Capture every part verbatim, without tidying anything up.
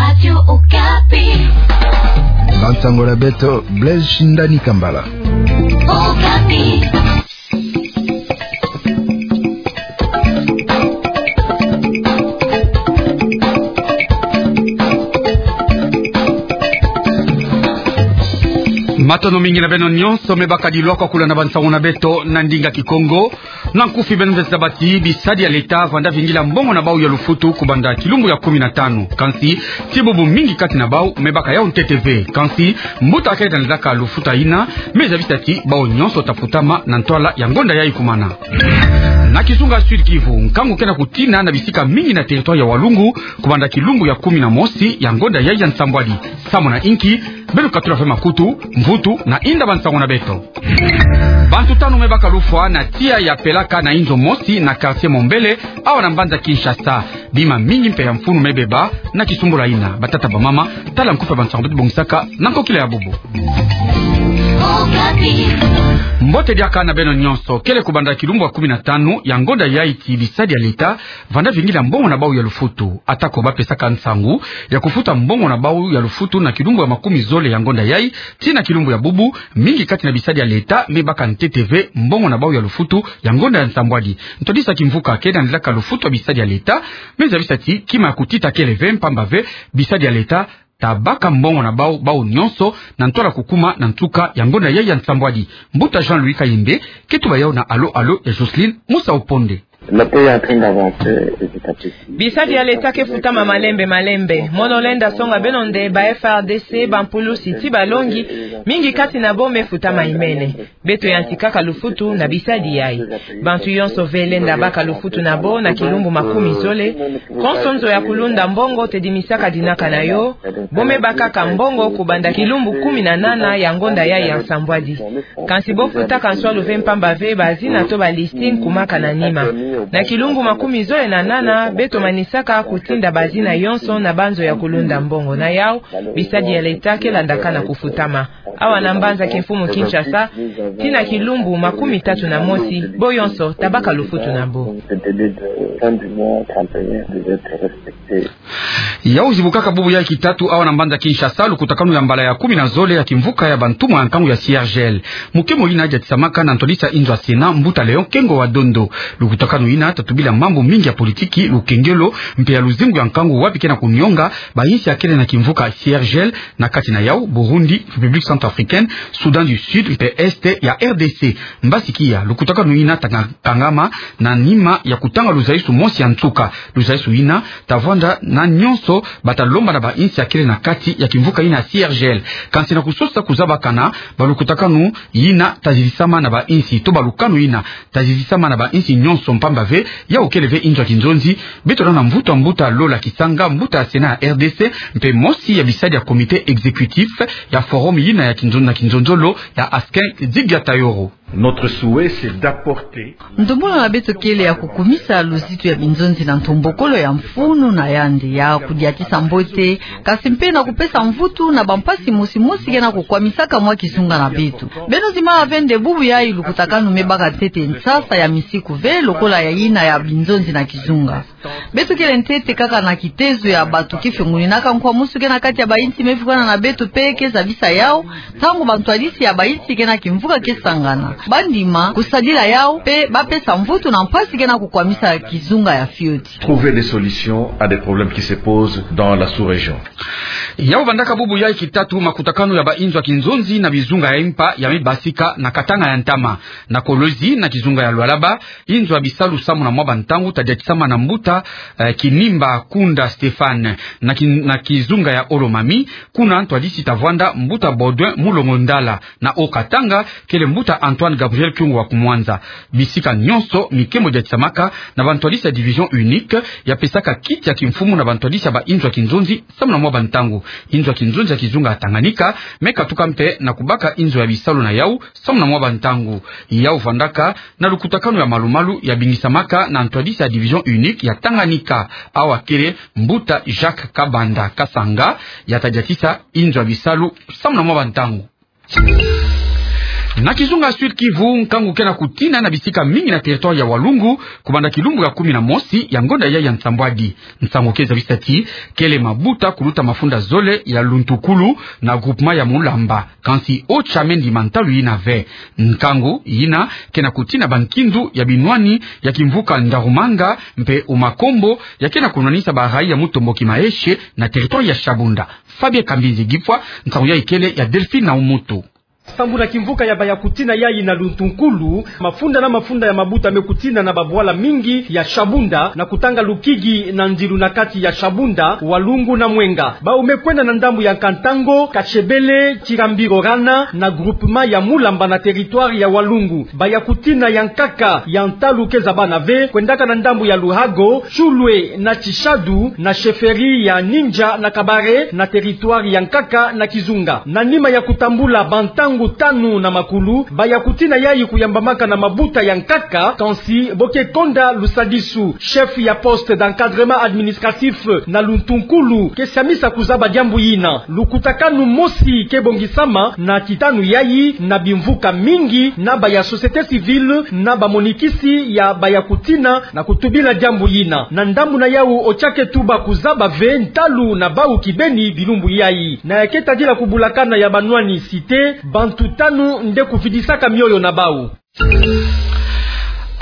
Radio Okapi. Bansango na beto, Blaise Shindani Kambala. Okapi. Matondo mingi na beno nyonso me baka dilwaka kulanda bansango na beto na ndinga Kikongo. Na nkufi beno mvesa ti bisadi ya leta vanda vingila mbongo na bau ya lufutu kubanda kilumbu ya kumi na tanu. Kansi, ti bubu mingi kati na bau me baka yau ntete ve. Kansi, mbuta akele ta nzaka lufuta yina, me zabisa ti bau nyonso ta futama na ntwala ya ngonda yayi kumana. Na kizunga Sud-Kivu, nkangu ke na kutina na bisika mingi na territoire ya Walungu, kubanda kilumbu ya kumi na mosi ya ngonda yayi ya nsambwadi. Samu na inki? Beno katula ve makutu, mvutu na inda bansango na beto. Bantu tanu me baka lufwa na tiya ya pelaka na inzo mosi na quartier Mombele, awa na mbanza Kinshasa. Bima mingi mpe ya mfunu me beba na kisumbula yina. Batata, bamama, tala nkufi ya bansango beto bongisaka na nkokila ya bubu. Mbote diaka na beno nyonso. Kele kubanda kilumbu ya kumi na tanu ya ngonda yayi ti bisadi ya leta vanda vingila mbongo na bau ya lufutu. Atako bapesaka nsangu ya kufuta mbongo na bau ya lufutu na kilumbu ya makumi zole ya ngonda yayi tii na kilumbu ya bubu, mingi kati na bisadi ya leta me baka ntete ve mbongo na bau ya lufutu ya ngonda ya nsambwadi. Ntwadisi ya kimvuka ke na landaka lufutu ya bisadi ya leta me zabisa ti kima ya kutita kele ve, mpamba ve bisadi ya leta ta baka mbongo na bau, bau nyonso, na ntwala kukuma na nsuka ya ngonda yayi ya nsambwadi. Mbuta Jean-Louis Kayembe ke tuba yau na Alo Alo ya Jocelyne Musa Oponde. Le pays est en train d'avancer petit à petit. Bisadi ya leta ke futama malembe malembe. Mono lenda songa beno nde ba F A R D C, bampulusi tii balongi, mingi kati na bau me futama imene. Beto yantikaka lufutu na bisadi yayi. Bantu yonso ve lenda baka lufutu na bau na kilumbu makumi zole. Konso nzo ya kulunda mbongo tedimisaka dinaka na yo. Bau me bakaka mbongo kubanda kilumbu kumi na nana ya ngonda yayi ya nsambwadi. Kansi bau futaka nswalu ve, mpamba ve bazina to ba listing kumaka na nima. Na kilumbu makumi zole na nana, beto manisaka kutinda bazina yonso na banzo ya kulunda mbongo. Na yau, bisadi ya leta ke landaka na kufutama. Awa na mbanza kimfumu Kinshasa, tii na kilumbu makumi tatu na mosi, bau yonso ta baka lufutu na bau. Yau zibukaka bubu yayi kitatu awa na mbanza Kinshasa lukutakanu ya mbala ya kumi na zole ya kimvuka ya bantumwa ya nkangu ya C R G L. Mukemo yina yadiatisamaka na ntwadisi ya inzo ya Sénat, mbuta Léon Kengo wa Dondo. Lukutakanu yina ta tubila mambu mingi ya politiki, lukengelo, mpe ya luzingu ya nkangu, wapi ke na kunionga bainsi ya kele na kimvuka C R G L, na kati na yau Burundi, République centrafricaine, Soudan du Sud mpe Est ya R D C. Mbasi kia, lukutakanu yina ta kangama na nima ya kutanga luzaisu mosi ya nsuka. Luzaisu yina ta vwanda na nyonso bata lomba na bainsi ya kele na kati ya kimvuka yina C R G L. Kansi na kusosa kuzabakana, balukutakanu yina ta zizisama na bainsi, to balukanu yina ta zizisama na bainsi nyonso, mpamba ve yau kele ve inzo ya kinzonzi. Beto landa mvutu ya mbuta Lola Kisanga, mbuta ya Sénat ya R D C, mpe mosi ya bisadi ya comité exécutif ya forum yina ya kinzon-, na kinzonzolo ya Askin Zigia Tayoro. Notre souhait, c'est d'apporter... Ndombolo na beto kele ya kukumisa luzitu ya binzonzi na ntombokolo ya mfunu na yandi, ya kudiatisa mbote, kansi mpe na kupesa mvutu na bampasi mosi mosi ke na kukwamisaka mwa kizunga na beto. Beno zimana ve nde bubu yayi lukutakanu me baka ntete nsasa ya misiku ve lokola ya yina ya binzonzi na kizunga. Beto kele ntete kaka na kitezo ya bato ke fiongoninaka nkwa mosi ke na kati ya bainsi me fukana na beto mpe ke zabisa yau, ntangu bantwadisi ya bainsi ke na kimvuka ke sangana, bandima kusadila yau mpe bapesa mvutu na mpasi ke na kukwamisa kizunga ya fioti. Trouver des solutions à des problèmes qui se posent dans la sous-région. Yau bandaka bubu yayi kitatu makutakanu ya bainzo ya kinzonzi na bizunga ya mpa ya me basika na Katanga ya ntama, na Kolozi, na kizunga ya Lualaba, inzo ya bisalu samu na mwa bantangu ta diatisama na mbuta, eh, Kinimba Kunda Stéphane, na ki-, na kizunga ya Haut-Lomami, kuna ntwadisi ta vwanda mbuta Baudouin Mulongo Ndala, na Haut-Katanga, kele mbuta Antoine Gabriel Kyungu wa Kumwanza. Bisika nyonso mikemo diatisamaka na bantwadisi ya division unique, ya pesaka kiti ya kimfumu na bantwadisi ya bainzo ya kinzonzi samu na mwa bantangu. Inzo ya kinzonzi ya kizunga ya Tanganyika me katuka mpe na kubaka inzo ya bisalu na yau samu na mwa bantangu. Yau vandaka na lukutakanu ya malumalu ya bingisamaka na ntwadisi ya division unique ya Tanganyika, awa kele mbuta Jacques Kabanda Kasanga, ya ta diatisa inzo ya bisalu samu na mwa bantangu. Na kizunga Sud-Kivu, nkangu ke na kutina na bisika mingi na territoire ya Walungu, kubanda kilumbu ya kumi na mosi ya ngonda yayi ya nsambwadi. Nsangu ke zabisa ti kele mabuta kuluta mafunda zole ya Luntukulu na groupement ya Mulamba. Kansi OCHA me ndima ntalu yina ve. Nkangu yina ke na kutina bankindu ya binwani ya kimvuka Ndarumanga mpe Umakombo, ya ke na kunwanisa barayi ya Mutomboki Maeshe na territoire ya Shabunda. Fabien Kambinzi Gipfwa, nsangu yayi kele ya Delphine na Umutu. Sambu na kimvuka ya Bayakutina yayi na Luntukulu, mafunda na mafunda ya mabuta me kutina na babwala mingi ya Shabunda, na kutanga lukigi na ndilu na kati ya Shabunda, Walungu na Mwenga. Bawu me kwenda na ndambu ya Kantango, Kashebele, Chirambiro Rana, na groupement ya Mulamba na territoire ya Walungu. Bayakutina ya nkaka ya ntalu ke zabana ve, kwendaka na ndambu ya Luhago, Chulwe na Chishadu, na chefferie ya Ninja na Kabare, na territoire ya nkaka na Kizunga. Na nima ya kutambula bantangu tanu na makulu, Bayakutina yayi kuyambamaka na mabuta ya nkaka, kansi bo ke konda lusadisu. Chef ya poste d'encadrement administratif na Luntukulu ke siamisa kuzaba diambu yina. Lukutakanu mosi ke bongisama na kitanu yayi na bimvuka mingi na baya société civile na bamonikisi ya Bayakutina na kutubila diambu yina. Na ndambu na yawu, OCHA ke tuba kuzaba ve ntalu na bawu kibeni bilumbu yayi. Na ya ke tadila kubulakana ya banwani cité, bantu tanu nde kuvidisaka mioyo na bawu.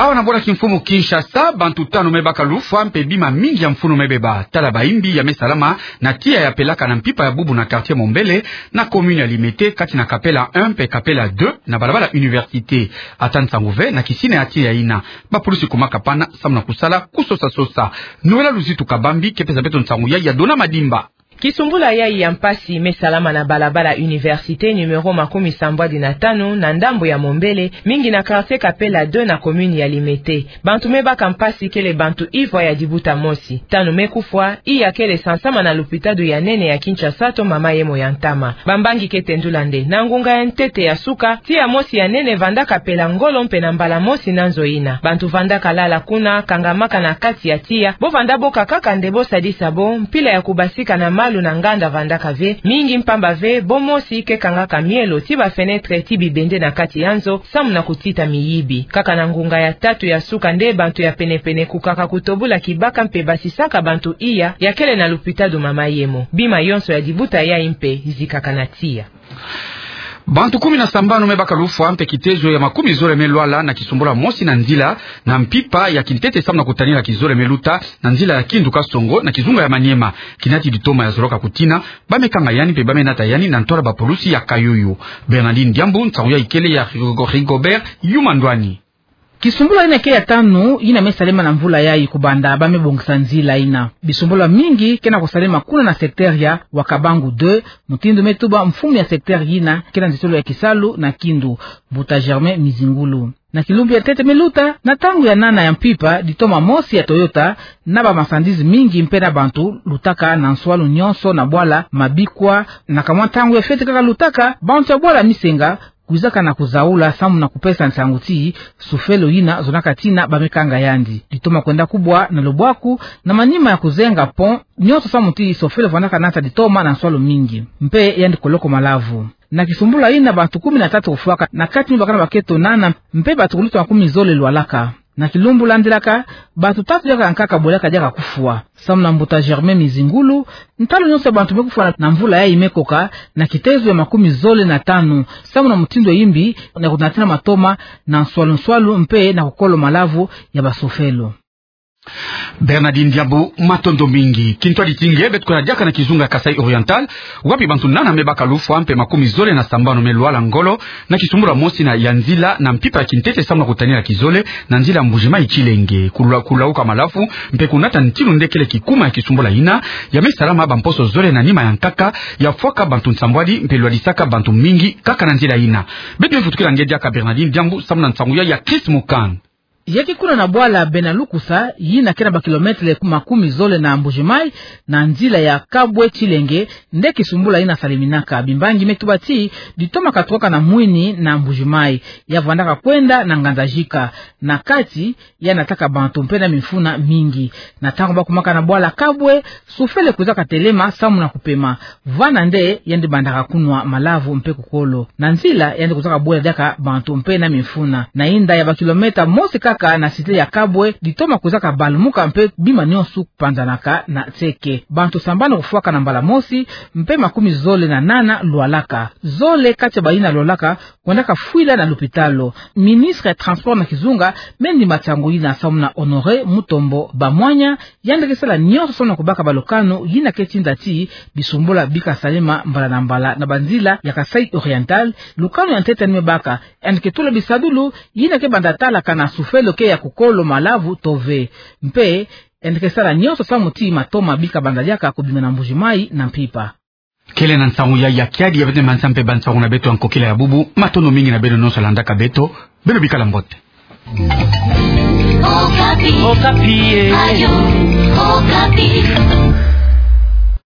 Awa na bwala kimfumu Kinshasa, bantu tanu me baka lufwa mpe bima mingi ya mfunu me beba. Tala bayimbi ya me salama na tiya ya pelaka na mpimpa ya bubu na quartier Mombele, na commune ya Limete, kati na Kapela un mpe Kapela deux, na balabala Université. Ata nsangu ve na kisina ya tiya yina. Bapulusi kumaka pana samu na kusala kusosa-sosa. Noëlla Luzitu Kabambi ke pesa beto nsangu yayi ya Dona Madimba. Kisumbula yayi ya mpasi me salama na balabala Université numéro makumi sambwadi na tanu na ndambu ya Mombele, mingi na quartier Kapela deux na commune ya Limete. Bantu me baka mpasi kele bantu ivwa ya dibuta mosi. Tanu me kufwa, iya kele sansama na lupitadu ya nene ya Kinshasa to Mama Yemo ya ntama. Bambangi ke tendula nde, na ngunga ya ntete ya suka, tiya mosi ya nene vandaka pela ngolo mpe na mbala mosi na nzo yina. Bantu vandaka lala kuna, kangamaka na kati ya tiya, bo vanda boka kaka nde bo sadisa bo, mpila ya kubasika na malu na nganda vandaka ve, mingi mpamba ve, bo mosi ke kangaka mielo ti bafenetre ti bibende na kati ya nzo, samu na kutita miyibi. Kaka na ngunga ya tatu ya suka nde bantu ya penepene kukaka kutobula kibaka mpe basisaka bantu iya, ya kele na lupitadu Mama Yemo. Bima yonso ya dibuta yayi mpe zikaka na tiya. Bantu kumi na sambanu me baka lufwa mpe kitezo ya makumi zole me lwala na kisumbula mosi na nzila na mpimpa ya kintete samu na kutanila kizole me luta na nzila ya Kindu Kasongo na kizunga ya Maniema. Kinati ditoma ya zoloka kutina, ba me kanga yandi mpe ba me nata yandi na ntwala bapulusi ya Kayuyu. Bernardine Diambu, nsangu yayi kele ya Rigo-, Rigobert Yuma Ndwani. Kisumbula yina ke ya tanu yina me salema na mvula yayi kubanda ba me bongisa nzila yina. Bisumbula mingi ke na kusalema kuna na secteur ya Wakabangu deux, mutindu me tuba mfumu ya secteur yina ke na nzitolo ya kisalu na Kindu, Mbuta Germain Mizingulu. Na kilumbu ya ntete me luta, na ntangu ya nana ya mpimpa, ditoma mosi ya Toyota, na ba marchandises mingi mpe na bantu lutaka na nswalu nyonso na bwala Mabikwa, na kamwa ntangu ya fioti kaka lutaka, bantu ya bwala Misenga, kwizaka na kuzaula samu na kupesa nsangu ti sofelo yina zonaka tina ba me kanga yandi. Ditoma kwenda kubwa na lubwaku na manima ya kuzenga pont nyonso samu ti sofelo vandaka nata ditoma na nswalu mingi. Mpe yandi koloko malavu. Na kisumbula yina bantu kumi na tatu kufwaka, na kati me bakana bakento nana, mpe bantu kuluta makumi zole lwalaka. Na kilumbu landilaka, bantu tatu diaka nkaka bwelaka diaka kufwa. Samu na Mbuta Germain Mizingulu, ntalu nyonso ya bantu me kufwa na mvula yayi me koka na kitezo ya makumi zole na tanu, samu na mutindu ya yimbi na kunatina matoma na nswalu-nswalu mpe na kukolo malavu ya basofelo. Bernardine Diambu, matondo mingi. Kintwadi ti nge, beto kwenda diaka na kizunga Kasaï Oriental, wapi bantu nana me baka lufwa mpe makumi zole na sambanu me lwala ngolo, na kisumbula mosi na ya nzila na mpimpa ya kintete samu na kutanila kizole, na nzila Mbuji-Mayi Tshilenge. Kula-, kulauka malavu, mpe kunata ntinu nde kele kikuma ya kisumbula yina, ya me salama bamposo zole na nima ya nkaka, ya fwaka bantu nsambwadi, mpe lwadisaka bantu mingi, kaka na nzila yina. Beto me vutukila nge diaka Bernardine Diambu, samu na nsangu yayi ya Chris Mukand. Yaki kuna na bwala Benalukusa, yina ke na ba kilometele makumi zole na Mbuji-Mayi, na nzila ya Kabwe-Tshilenge, nde kisumbula yina saleminaka. Bimbangi me tuba ti ditoma katukaka na mwini na Mbuji-Mayi, ya vandaka kwenda na Nganzajika, na kati ya nataka bantu mpe na mimfuna mingi. Na ntangu ba kumaka na bwala Kabwe, sufele kwizaka telema samu na kupema. Vana nde yandi bandaka kunwa malavu mpe kukolo. Na nzila yandi kwizaka bwela diaka bantu mpe na mimfuna. Na inda ya ba kilomètre mosi kaka na cité ya Kabwe, ditoma kwizaka balumuka mpe bima nionso kupanzanaka na nseke. Bantu sambanu kufwaka na mbala mosi, mpe makumi zole na nana lwalaka. Zole kati ya bayina lwalaka, kwendaka fwila na lupitalo. Ministre ya Transport na kizunga me ndima nsangu yina samu na Honoré Mutombo Bamwanya, yandi ke sala nionso samu na kubaka balukanu yina ke tinda ti bisumbula bika salema mbala na mbala na banzila ya Kasaï Oriental. Lukanu ya ntete yandi me baka, yandi ke tula bisadulu yina ke banda talaka na sufele ke ya kukolo malavu to ve. Mpe yandi ke sala nionso samu ti matoma bika banda diaka kubima na Mbuji-Mayi na mpimpa. Kele na nsangu ya ya kiadi ya bete mansa mpe bansangu na beto ya nkokila ya bubu, matondo mingi na beno nionso landaka beto, beno bikala mbote. Okapi. Okapi, eh. Radio Okapi.